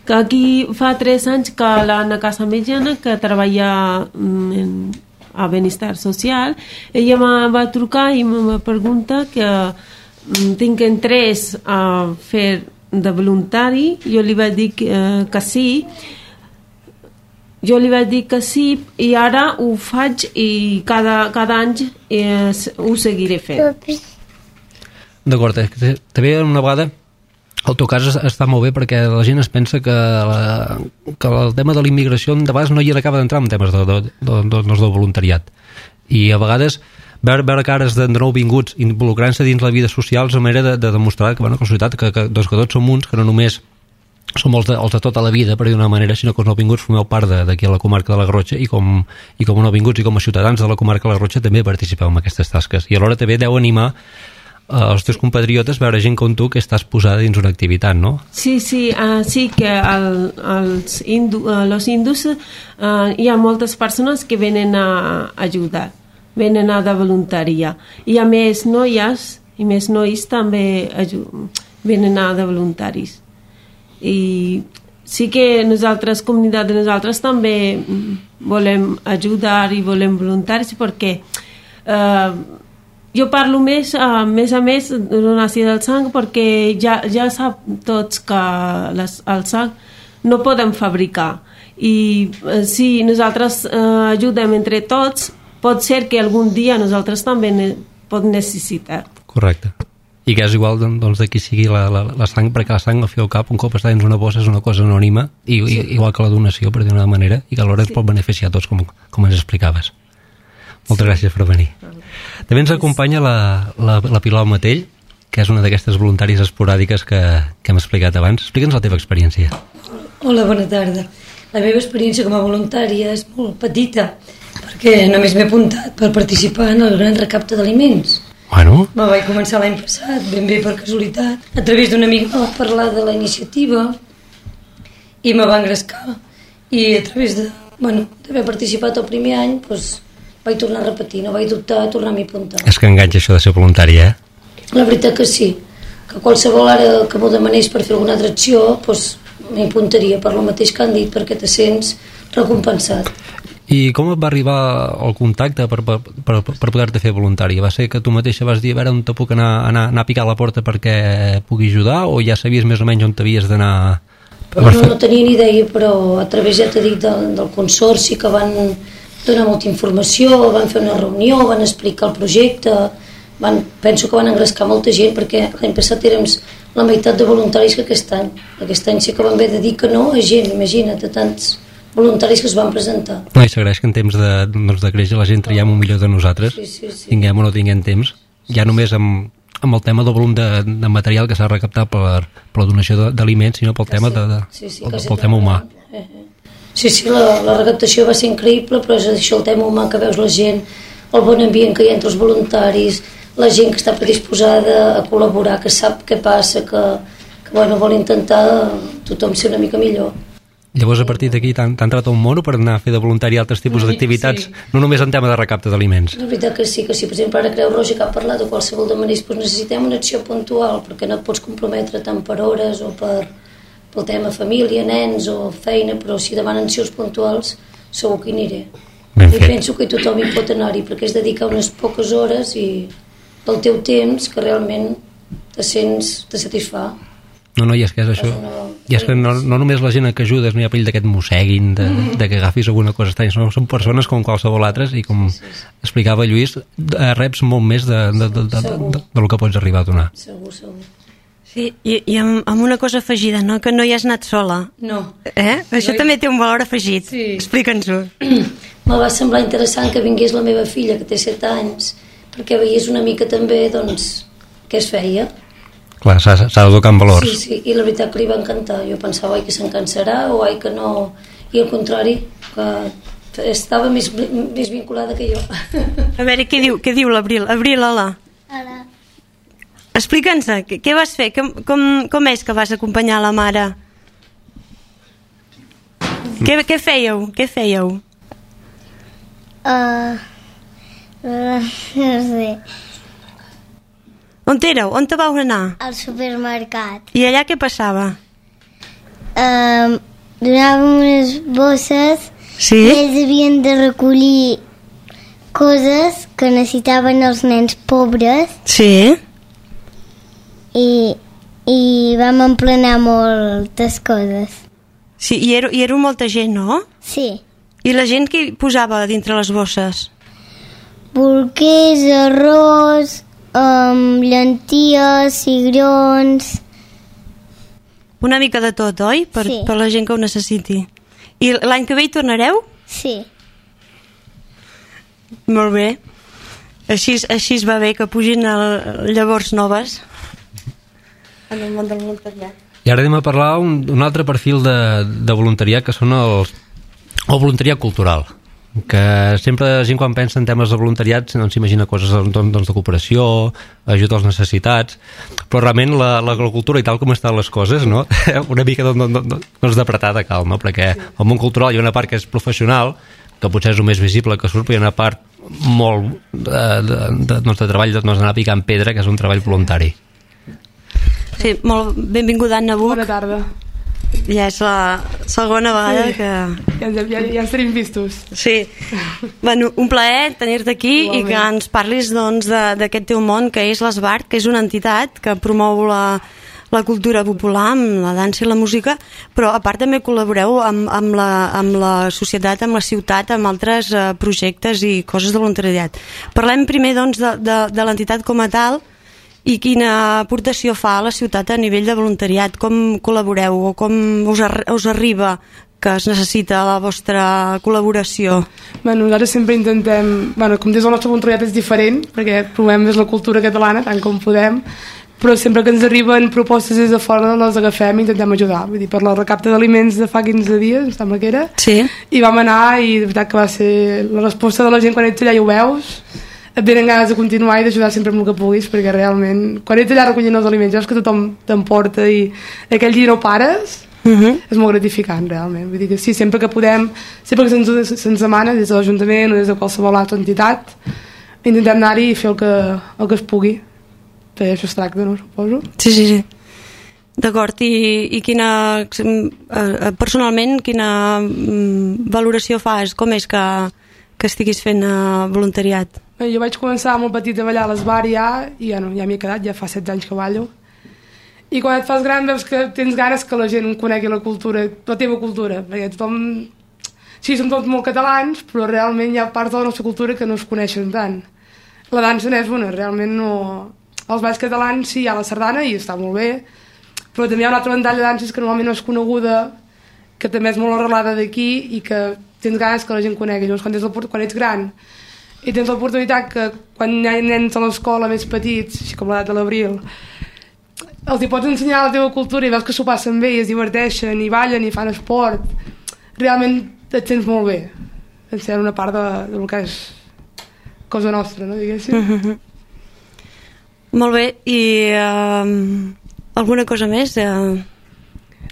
Speaker 9: que aquí fa tres anys que l'Anna Casamellana, que treballa en, a Benestar Social, ella me va trucar i me va preguntar que tinc interès a fer de voluntari. Jo li vaig dir que, eh, que sí, jo li vaig dir que sí i ara ho faig i cada, cada any eh, ho seguiré fent.
Speaker 7: D'acord, també una vegada el teu cas està molt bé perquè la gent es pensa que, la, que el tema de la immigració de vegades no hi acaba d'entrar en temes de, de, de, de, de voluntariat i a vegades veure, veure cares de nou vinguts involucrant-se dins la vida social és una manera de, de demostrar que, bueno, que la societat, que, que, doncs, que tots som uns, que no només som els de, els de tota la vida, per dir d'una manera, sinó que els nouvinguts formeu part d'aquí a la comarca de la Garrotxa i com, i com a nouvinguts i com a ciutadans de la comarca de la Garrotxa també participeu en aquestes tasques. I alhora també deu animar eh, els teus compatriotes veure gent com tu que estàs posada dins una activitat, no?
Speaker 9: Sí, sí, uh, sí que el, els hindu, uh, los hindus uh, hi ha moltes persones que venen a ajudar, venen a de voluntària. I a més noies i més nois també venen a de voluntaris. I sí que nosaltres, comunitat de nosaltres, també volem ajudar i volem voluntaris perquè eh, jo parlo més, a més a més de donació del sang perquè ja, ja sap tots que les, el sang no podem fabricar i eh, si nosaltres eh, ajudem entre tots pot ser que algun dia nosaltres també ne, pot necessitar.
Speaker 7: Correcte. I que és igual doncs, de qui sigui la, la, la sang, perquè la sang al fi al cap un cop està dins una bossa és una cosa anònima i, sí. i, igual que la donació per dir-ho d'una manera i que alhora sí. ens pot beneficiar a tots com, com ens explicaves. Moltes sí. gràcies per venir. També ens acompanya la, la, la Pilar Matell, que és una d'aquestes voluntàries esporàdiques que, que hem explicat abans. Explica'ns la teva experiència.
Speaker 10: Hola, bona tarda. La meva experiència com a voluntària és molt petita perquè només m'he apuntat per participar en el gran recapte d'aliments.
Speaker 7: Bueno.
Speaker 10: Me vaig començar l'any passat, ben bé per casualitat. A través d'un amic me va parlar de la iniciativa i me va engrescar. I a través de, bueno, d'haver participat el primer any, doncs, vaig tornar a repetir, no vaig dubtar a tornar-m'hi a apuntar.
Speaker 7: És que enganxa això de ser voluntària, eh?
Speaker 10: La veritat que sí, que qualsevol ara que m'ho demanés per fer alguna altra acció, doncs m'hi apuntaria per lo mateix que han dit, perquè te sents recompensat.
Speaker 7: I com et va arribar el contacte per, per, per, per poder-te fer voluntari? Va ser que tu mateixa vas dir a veure on te puc anar, anar, anar a picar a la porta perquè pugui ajudar o ja sabies més o menys on t'havies d'anar?
Speaker 10: No, no tenia ni idea, però a través, ja t'he dit, del, del consorci que van donar molta informació, van fer una reunió, van explicar el projecte, van, penso que van engrescar molta gent perquè l'any passat érem la meitat de voluntaris que aquest any. Aquest any sí que van haver de dir que no a gent, imagina't, a tants voluntaris que es van presentar.
Speaker 7: No, i s'agraeix que en temps de, doncs, de créixer la gent traiem un millor de nosaltres,
Speaker 10: sí, sí, sí.
Speaker 7: tinguem o no tinguem temps, ja només amb, amb el tema del volum de, de material que s'ha recaptat per, per la donació d'aliments, sinó pel tema, de, de,
Speaker 10: sí, sí,
Speaker 7: pel, pel tema humà.
Speaker 10: Sí, sí, la, la recaptació va ser increïble, però és això, el tema humà, que veus la gent, el bon ambient que hi ha entre els voluntaris, la gent que està predisposada a col·laborar, que sap què passa, que, que bueno, vol intentar tothom ser una mica millor.
Speaker 7: Llavors, a partir d'aquí, t'ha entrat un mono per anar a fer de voluntari altres tipus d'activitats, sí. No només en tema de recapte d'aliments.
Speaker 10: La veritat que sí, que sí. Per exemple, ara Creu Roja, que ha parlat de qualsevol de manera, doncs necessitem una acció puntual, perquè no et pots comprometre tant per hores o per, pel tema família, nens o feina, però si demanen accions puntuals, segur que hi aniré. I penso que tothom hi pot anar-hi, perquè és dedicar unes poques hores i del teu temps que realment te sents, te satisfà.
Speaker 7: No, no, i és que és això. I és que no, no només la gent que ajudes, no hi ha perill d'aquest mosseguin, de, de que agafis alguna cosa estranya, són, són persones com qualsevol altres i com explicava Lluís, reps molt més de, de, de, de, de, de, de lo que pots arribar a donar.
Speaker 10: Segur, segur.
Speaker 3: Sí, i, i amb, amb una cosa afegida, no? Que no hi has anat sola.
Speaker 10: No.
Speaker 3: Eh? Això
Speaker 10: No hi-
Speaker 3: també té un valor afegit.
Speaker 10: Sí.
Speaker 3: Explica'ns-ho.
Speaker 10: Me va semblar interessant que vingués la meva filla, que té set anys, perquè veiés una mica també, doncs, què es feia.
Speaker 7: Clar, s'ha s'ha de tocar en valors.
Speaker 10: Sí, sí, i la veritat que li va encantar. Jo pensava, ai, que se'n cansarà, o ai, que no... I al contrari, que estava més, més vinculada que jo.
Speaker 3: A veure, què diu, què diu l'Abril? Abril, hola.
Speaker 11: Hola.
Speaker 3: Explica'ns, què, què vas fer? Com, com, com és que vas acompanyar la mare? Què, què fèieu? Què fèieu?
Speaker 11: Uh, no sé.
Speaker 3: On éreu? On te vau anar?
Speaker 11: Al supermercat.
Speaker 3: I allà què passava?
Speaker 11: Um, donàvem unes bosses
Speaker 3: Sí?
Speaker 11: i ells havien de recollir coses que necessitaven els nens pobres
Speaker 3: Sí?
Speaker 11: i, i vam emplenar moltes coses.
Speaker 3: Sí, i era, i era molta gent, no?
Speaker 11: Sí.
Speaker 3: I la gent que hi posava dintre les bosses?
Speaker 11: Bolquers, arròs, um, llenties, cigrons...
Speaker 3: Una mica de tot, oi? Per,
Speaker 11: Sí.
Speaker 3: per la gent que ho necessiti. I l'any que ve hi tornareu?
Speaker 11: Sí.
Speaker 3: Molt bé. Així, així es va bé que pugin el, llavors noves en el món del voluntariat.
Speaker 7: I ara anem a parlar un, un altre perfil de, de voluntariat, que són els, el voluntariat cultural, que sempre la gent quan pensa en temes de voluntariat doncs s'imagina coses doncs, doncs, de cooperació, ajuda als necessitats, però realment la, la, la cultura i tal com estan les coses, no? Una mica doncs, doncs, d'apretada cal, no? Perquè al món cultural hi ha una part que és professional, que potser és el més visible que surt, però hi ha una part molt de, de, de, doncs, de treball doncs, d'anar picant pedra, que és un treball voluntari.
Speaker 3: Sí, molt benvinguda, Anna Buch.
Speaker 12: Bona tarda.
Speaker 3: Ja és la segona vegada
Speaker 12: Sí.
Speaker 3: que...
Speaker 12: Ja, ja, ja, ja ens tenim vistos.
Speaker 3: Sí. Bueno, un plaer tenir-te aquí i que ens parlis doncs, de- d'aquest teu món que és l'Esbart, que és una entitat que promou la, la cultura popular amb la dansa i la música, però a part també col·laboreu amb, amb, la, amb la societat, amb la ciutat, amb altres eh, projectes i coses de voluntariat. Parlem primer doncs, de, de, de l'entitat com a tal i quina aportació fa a la ciutat a nivell de voluntariat, com col·laboreu o com us, ar us arriba que es necessita la vostra col·laboració.
Speaker 12: Bueno, nosaltres sempre intentem... Bueno, com des del nostre voluntariat és diferent, perquè provem més la cultura catalana, tant com podem, però sempre que ens arriben propostes des de fora les agafem i intentem ajudar. Vull dir, per la recapta d'aliments de fa quinze dies, em sembla que era,
Speaker 3: sí.
Speaker 12: I vam anar i de veritat que va ser la resposta de la gent quan ets allà i ho veus, et venen ganes de continuar i d'ajudar sempre amb el que puguis, perquè realment, quan ets allà recollint els aliments, veus que tothom t'emporta i aquell dia no pares,
Speaker 3: uh -huh.
Speaker 12: és molt gratificant realment. Vull dir que sí, sempre que podem, sempre que se'ns se demana des de l'Ajuntament o des de qualsevol altra entitat, intentem anar-hi i fer el que, el que es pugui. Perquè això es tracta, no? Suposo.
Speaker 3: Sí, sí, sí. D'acord, i, i quina, eh, personalment, quina mm, valoració fas? Com és que, que estiguis fent eh, voluntariat?
Speaker 12: Bé, jo vaig començar molt petit a ballar a l'Esbar ja, i ja, no, ja m'hi he quedat, ja fa setze anys que ballo. I quan et fas gran veus que tens ganes que la gent conegui la cultura, la teva cultura, perquè tothom... Sí, som tots molt catalans, però realment hi ha parts de la nostra cultura que no es coneixen tant. La dansa n'és una, realment no... Els balls catalans sí, hi ha la sardana i està molt bé, però també hi ha una altra ventall de danses que normalment no és coneguda, que també és molt arrelada d'aquí i que tens ganes que la gent conegui. Llavors, quan, tens quan ets gran i tens l'oportunitat que quan hi ha nens a l'escola més petits, així com l'edat de l'Abril, els hi pots ensenyar la teva cultura i veus que s'ho passen bé i es diverteixen i ballen i fan esport, realment et sents molt bé. Et sent una part de, del que és cosa nostra, no, diguéssim.
Speaker 3: Uh -huh. Molt bé, i uh, alguna cosa més? Uh...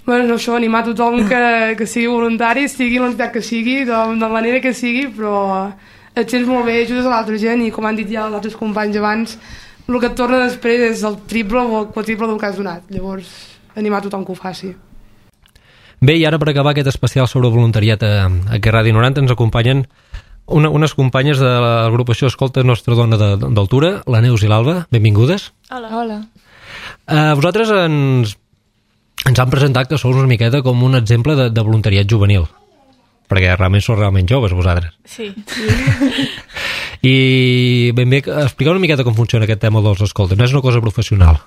Speaker 12: Bueno, no, això, animar tothom que, que sigui voluntari, sigui l'entitat que sigui, de, de la manera que sigui, però et sents molt bé, ajudes a l'altra gent i com han dit ja els altres companys abans, el que et torna després és el triple o el quadriple del que has donat. Llavors, animar tothom que ho faci.
Speaker 7: Bé, i ara per acabar aquest especial sobre voluntariat a, a que Ràdio noranta ens acompanyen una, unes companyes de l'agrupació Escolta Nostra Dona d'Altura, la Neus i l'Alba. Benvingudes.
Speaker 13: Hola. Hola.
Speaker 7: Uh, vosaltres ens ens han presentat que sou una miqueta com un exemple de, de voluntariat juvenil, perquè realment sou realment joves vosaltres.
Speaker 13: Sí.
Speaker 7: I ben bé, expliqueu una miqueta com funciona aquest tema dels escoltes. No és una cosa professional.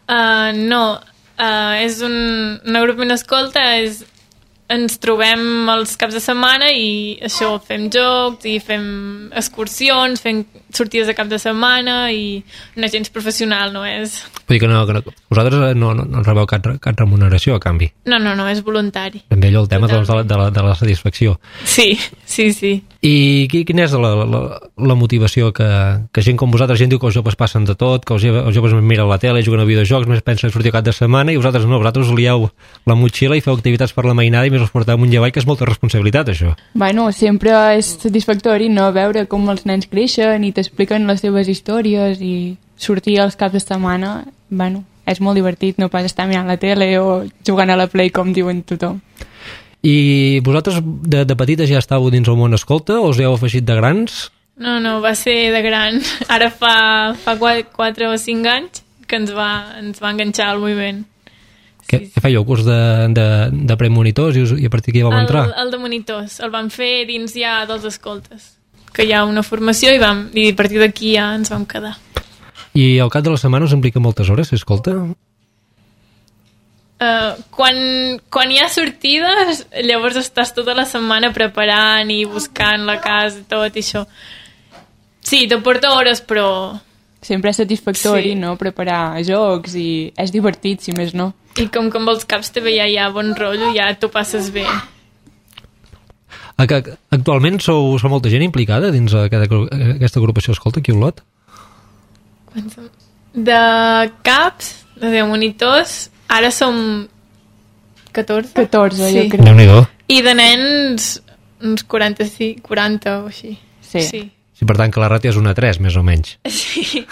Speaker 13: Uh, no, uh, és un, un agrupament escolta, és, ens trobem els caps de setmana i això, fem jocs i fem excursions, fem sortides de cap de setmana i no és gens professional, no és...
Speaker 7: Vull dir que, no, que no, vosaltres no, no, no rebeu cap, cap remuneració a canvi.
Speaker 13: No, no, no, és voluntari.
Speaker 7: També allò el tema doncs, de, la, de, la, de la satisfacció.
Speaker 13: Sí, sí, sí.
Speaker 7: I quina és la, la, la motivació que, que gent com vosaltres, gent diu que els joves passen de tot, que els, els joves miren la tele, juguen a videojocs, més pensen sortir cap de setmana, i vosaltres no, vosaltres lieu la motxilla i feu activitats per la mainada i més us porteu amunt i avall, que és molta responsabilitat, això.
Speaker 14: Bueno, sempre és satisfactori, no?, veure com els nens creixen i t'expliquen les seves històries i sortir als caps de setmana, bueno, és molt divertit, no pas estar mirant la tele o jugant a la Play, com diuen tothom.
Speaker 7: I vosaltres de, de petites ja estàveu dins el món escolta o us heu afegit de grans?
Speaker 13: No, no, va ser de gran. Ara fa, fa quatre o cinc anys que ens va, ens va enganxar al moviment.
Speaker 7: Què, sí, què fèieu? Curs de, de, de premonitors i, us, i a partir d'aquí vau
Speaker 13: el,
Speaker 7: entrar?
Speaker 13: El de monitors, el vam fer dins ja dels escoltes, que hi ha una formació i, vam, i a partir d'aquí ja ens vam quedar.
Speaker 7: I al cap de la setmana us implica moltes hores, escolta?
Speaker 13: Uh, quan, quan hi ha sortides, llavors estàs tota la setmana preparant i buscant la casa i tot i això. Sí, te porta hores, però...
Speaker 14: Sempre és satisfactori, sí, no?, preparar jocs i és divertit, si més no.
Speaker 13: I com que amb els caps també ja hi ha bon rotllo, ja t'ho passes bé.
Speaker 7: Actualment sou, sou molta gent implicada dins aquesta, aquesta agrupació escolta aquí a Olot?
Speaker 13: De caps, de monitors, ara som catorze.
Speaker 14: catorze,
Speaker 13: sí,
Speaker 14: jo crec.
Speaker 7: Déu-n'hi-do.
Speaker 13: I de nens, uns quaranta-cinc, quaranta o així.
Speaker 14: Sí.
Speaker 13: Sí.
Speaker 7: Sí, per tant que la ràtio és una tres, més o menys.
Speaker 13: Sí.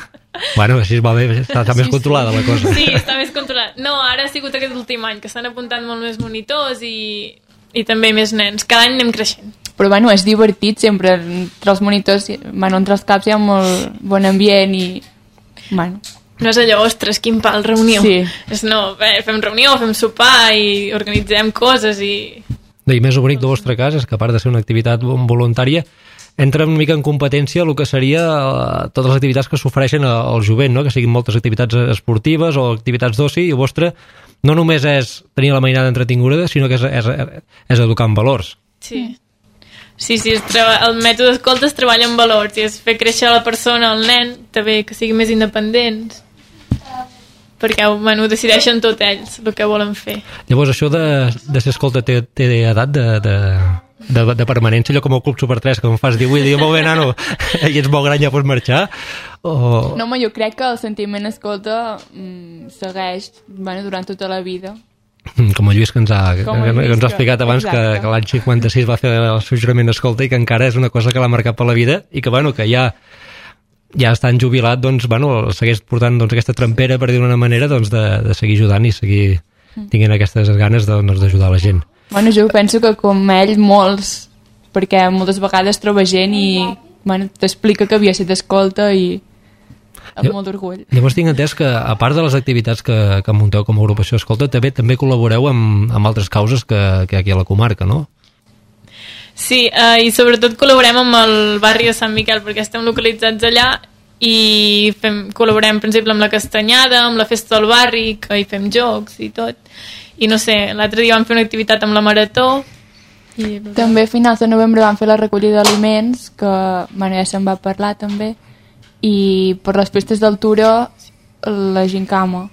Speaker 7: Bueno, així va bé, està, està sí, més controlada la cosa.
Speaker 13: Sí, està més controlada. No, ara ha sigut aquest últim any, que s'han apuntat molt més monitors i, i també més nens. Cada any anem creixent.
Speaker 14: Però bueno, és divertit sempre, entre els monitors, bueno, entre els caps hi ha molt bon ambient i... Bueno.
Speaker 13: No és allò, ostres, quin pal, reunió.
Speaker 14: Sí.
Speaker 13: És no, bé, fem reunió, fem sopar i organitzem coses i...
Speaker 7: I més bonic del vostre cas és que a part de ser una activitat voluntària entra una mica en competència el que seria uh, totes les activitats que s'ofereixen al jovent, no? Que siguin moltes activitats esportives o activitats d'oci, i el vostre no només és tenir la mainada entretinguda, sinó que és, és, és educar en valors.
Speaker 13: Sí. Sí, sí, el mètode escolta es treballa en valors i és fer créixer la persona, el nen, també que siguin més independents, perquè bueno, decideixen tot ells el que volen fer.
Speaker 7: Llavors això de, de ser escolta té, té edat de, de, de, de permanència, allò com el Club Super tres, que em fas divuit i diu, molt bé, nano, i ets molt gran, ja pots marxar? O...
Speaker 14: No, home, jo crec que el sentiment escolta mmm, segueix bueno, durant tota la vida.
Speaker 7: Com el Lluís que ens ha, que, que ens ha explicat abans que, que l'any cinquanta-sis va fer el seu jurament escolta i que encara és una cosa que l'ha marcat per la vida i que, bueno, que ja ja estan jubilat, doncs, bueno, segueix portant doncs, aquesta trampera, per dir d'una manera, doncs, de, de seguir ajudant i seguir tinguent aquestes ganes doncs, d'ajudar la gent.
Speaker 14: Bueno, jo penso que com ell, molts, perquè moltes vegades troba gent i bueno, t'explica que havia estat escolta i amb molt d'orgull.
Speaker 7: Llavors tinc entès que, a part de les activitats que, que munteu com a agrupació escolta, també també col·laboreu amb, amb altres causes que, que aquí a la comarca, no?
Speaker 13: Sí, eh, i sobretot col·laborem amb el barri de Sant Miquel, perquè estem localitzats allà i fem, col·laborem, per exemple, amb la Castanyada, amb la festa del barri, que hi fem jocs i tot. I no sé, l'altre dia vam fer una activitat amb la Marató. I...
Speaker 14: També a finals de novembre vam fer la recollida d'aliments, que bueno, ja se'n va parlar també, i per les festes d'altura la gincama.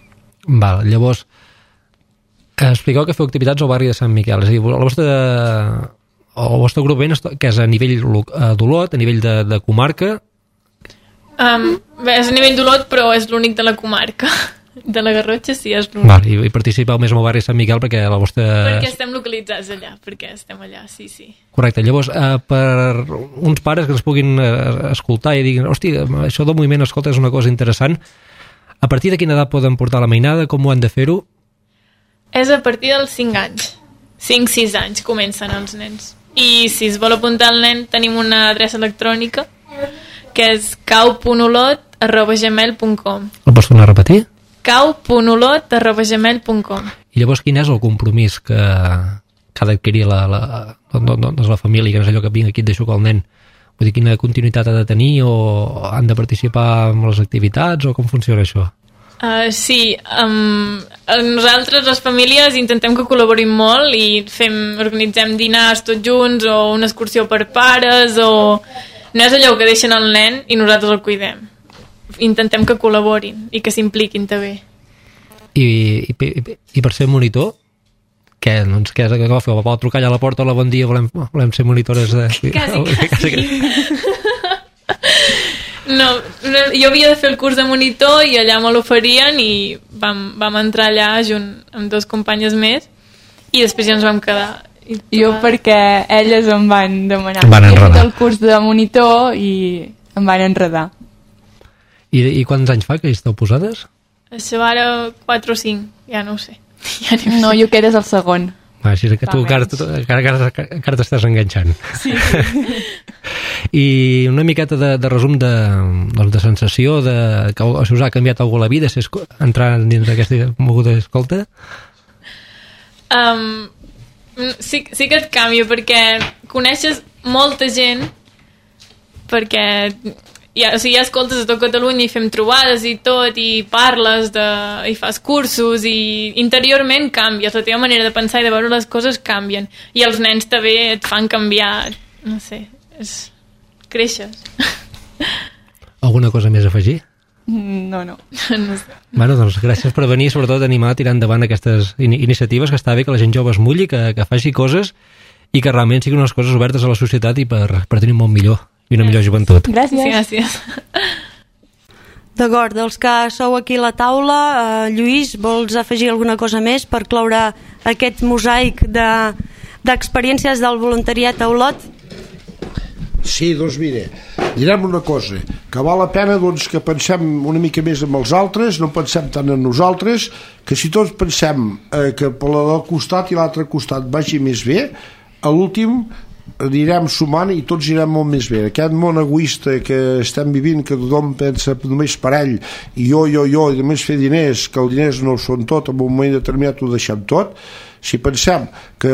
Speaker 7: Val, llavors expliqueu que feu activitats al barri de Sant Miquel, és a dir, el vostre, el vostre grup que és a nivell d'Olot, a nivell de, de comarca?
Speaker 13: Um, bé, és a nivell d'Olot, però és l'únic de la comarca. De la Garrotxa sí, és l'únic.
Speaker 7: Val, i, i participeu més amb el barri de Sant Miquel perquè la vostra...
Speaker 13: Perquè estem localitzats allà, perquè estem allà, sí, sí.
Speaker 7: Correcte, llavors, eh, per uns pares que ens puguin eh, escoltar i diguin, hòstia, això del moviment escolta és una cosa interessant, a partir de quina edat poden portar la mainada, com ho han de fer-ho?
Speaker 13: És a partir dels cinc anys, cinc sis anys comencen els nens. I si es vol apuntar el nen, tenim una adreça electrònica, que és cau punt olot arroba gmail punt com.
Speaker 7: El pots tornar a repetir?
Speaker 13: cau punt olot arroba gmail punt com.
Speaker 7: I llavors quin és el compromís que, que ha d'adquirir la, la, doncs la família, que no és allò que vinc aquí et deixo que el nen, vull dir, quina continuïtat ha de tenir, o han de participar en les activitats, o com funciona això?
Speaker 13: Uh, sí, um, nosaltres les famílies intentem que col·laborin molt i fem, organitzem dinars tots junts o una excursió per pares, o no és allò que deixen el nen i nosaltres el cuidem. Intentem que col·laborin i que s'impliquin també.
Speaker 7: I, i, i, i per ser monitor, què, doncs, què és que va fer? Va trucar allà a la porta, hola, bon dia, volem, volem ser monitores de...
Speaker 13: Quasi, quasi. No, jo havia de fer el curs de monitor i allà me l'oferien i vam, vam entrar allà junt amb dos companyes més i després ja ens vam quedar. I
Speaker 14: jo perquè elles em van demanar
Speaker 7: van
Speaker 14: he fet el curs de monitor i em van enredar.
Speaker 7: I, i quants anys fa que hi esteu posades?
Speaker 13: Això ara quatre o cinc, ja no ho sé.
Speaker 14: Ja no, no jo que eres el segon.
Speaker 7: Ah, així que tu encara, encara, encara t'estàs enganxant.
Speaker 14: Sí, sí.
Speaker 7: I una miqueta de, de resum de, doncs de sensació de, que si us ha canviat algú la vida, si entrar dins d'aquesta moguda d'escolta?
Speaker 13: Um, sí, sí que et canvia perquè coneixes molta gent, perquè ja, o sigui, ja escoltes a tot Catalunya i fem trobades i tot, i parles de, i fas cursos, i interiorment canvies, la teva manera de pensar i de veure les coses canvien, i els nens també et fan canviar, no sé, és... creixes.
Speaker 7: Alguna cosa més a afegir?
Speaker 14: No, no.
Speaker 13: No sé.
Speaker 7: Bueno, doncs gràcies per venir, sobretot animar a tirar endavant aquestes in iniciatives, que està bé que la gent jove es mulli, que, que faci coses i que realment siguin unes coses obertes a la societat i per, per tenir un món millor i una millor joventut.
Speaker 14: Gràcies.
Speaker 13: Sí, gràcies.
Speaker 3: D'acord, dels que sou aquí a la taula, eh, Lluís, vols afegir alguna cosa més per cloure aquest mosaic d'experiències de, del voluntariat a Olot?
Speaker 5: Sí, doncs mira, direm una cosa, que val la pena doncs, que pensem una mica més en els altres, no pensem tant en nosaltres, que si tots pensem eh, que per del costat i l'altre costat vagi més bé, a l'últim anirem sumant i tots irem molt més bé. Aquest món egoista que estem vivint, que tothom pensa només per ell, i jo, jo, jo, i només fer diners, que els diners no ho són tot, en un moment determinat ho deixem tot. Si pensem que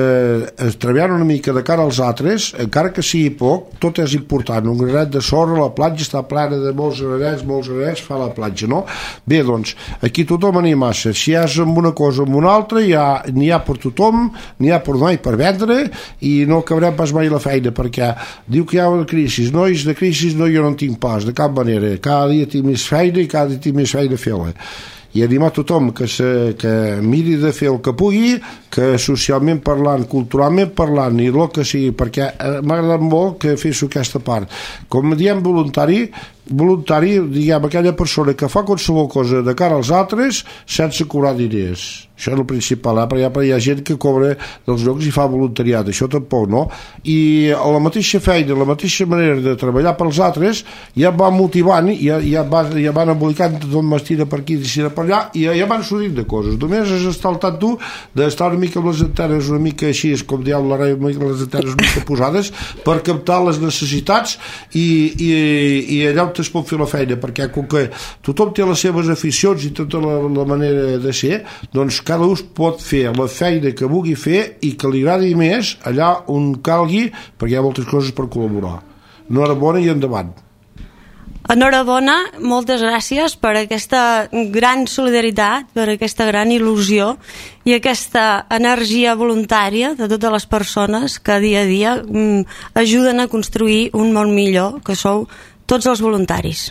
Speaker 5: treballant una mica de cara als altres, encara que sigui poc, tot és important. Un granet de sorra, la platja està plena de molts granets, molts granets, fa la platja, no? Bé, doncs, aquí tothom n'hi ha massa. Si és amb una cosa o amb una altra, n'hi ha, ha per tothom, n'hi ha per donar i per vendre, i no acabarem pas mai la feina, perquè diu que hi ha una crisi. Nois, de crisi no, jo no en tinc pas, de cap manera. Cada dia tinc més feina i cada dia tinc més feina a fer-la. I animar tothom que, se, que miri de fer el que pugui, que socialment parlant, culturalment parlant i el que sigui, perquè m'ha agradat molt que fes aquesta part. Com diem voluntari, voluntari, diguem, aquella persona que fa qualsevol cosa de cara als altres sense cobrar diners. Això és el principal, eh? Perquè hi ha, hi ha gent que cobra dels llocs i fa voluntariat, això tampoc, no? I a la mateixa feina, la mateixa manera de treballar pels altres, ja van motivant, ja, ja, van, ja van embolicant tot m'estira per aquí, i per allà, i ja, ja van sortint de coses. Només és estar al tant tu d'estar una mica amb les antenes, una mica així, com dieu la rei, les antenes una mica posades, per captar les necessitats i, i, i allà on es pot fer la feina, perquè com que tothom té les seves aficions i tota la, la manera de ser, doncs cada un pot fer la feina que vulgui fer i que li agradi més allà on calgui, perquè hi ha moltes coses per col·laborar. Enhorabona i endavant.
Speaker 3: Enhorabona, moltes gràcies per aquesta gran solidaritat, per aquesta gran il·lusió i aquesta energia voluntària de totes les persones que dia a dia mm, ajuden a construir un món millor, que sou tots els voluntaris.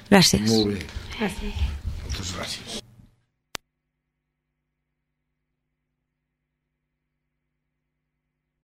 Speaker 3: Gràcies.
Speaker 5: Molt bé.
Speaker 3: Gràcies.
Speaker 5: Moltes gràcies.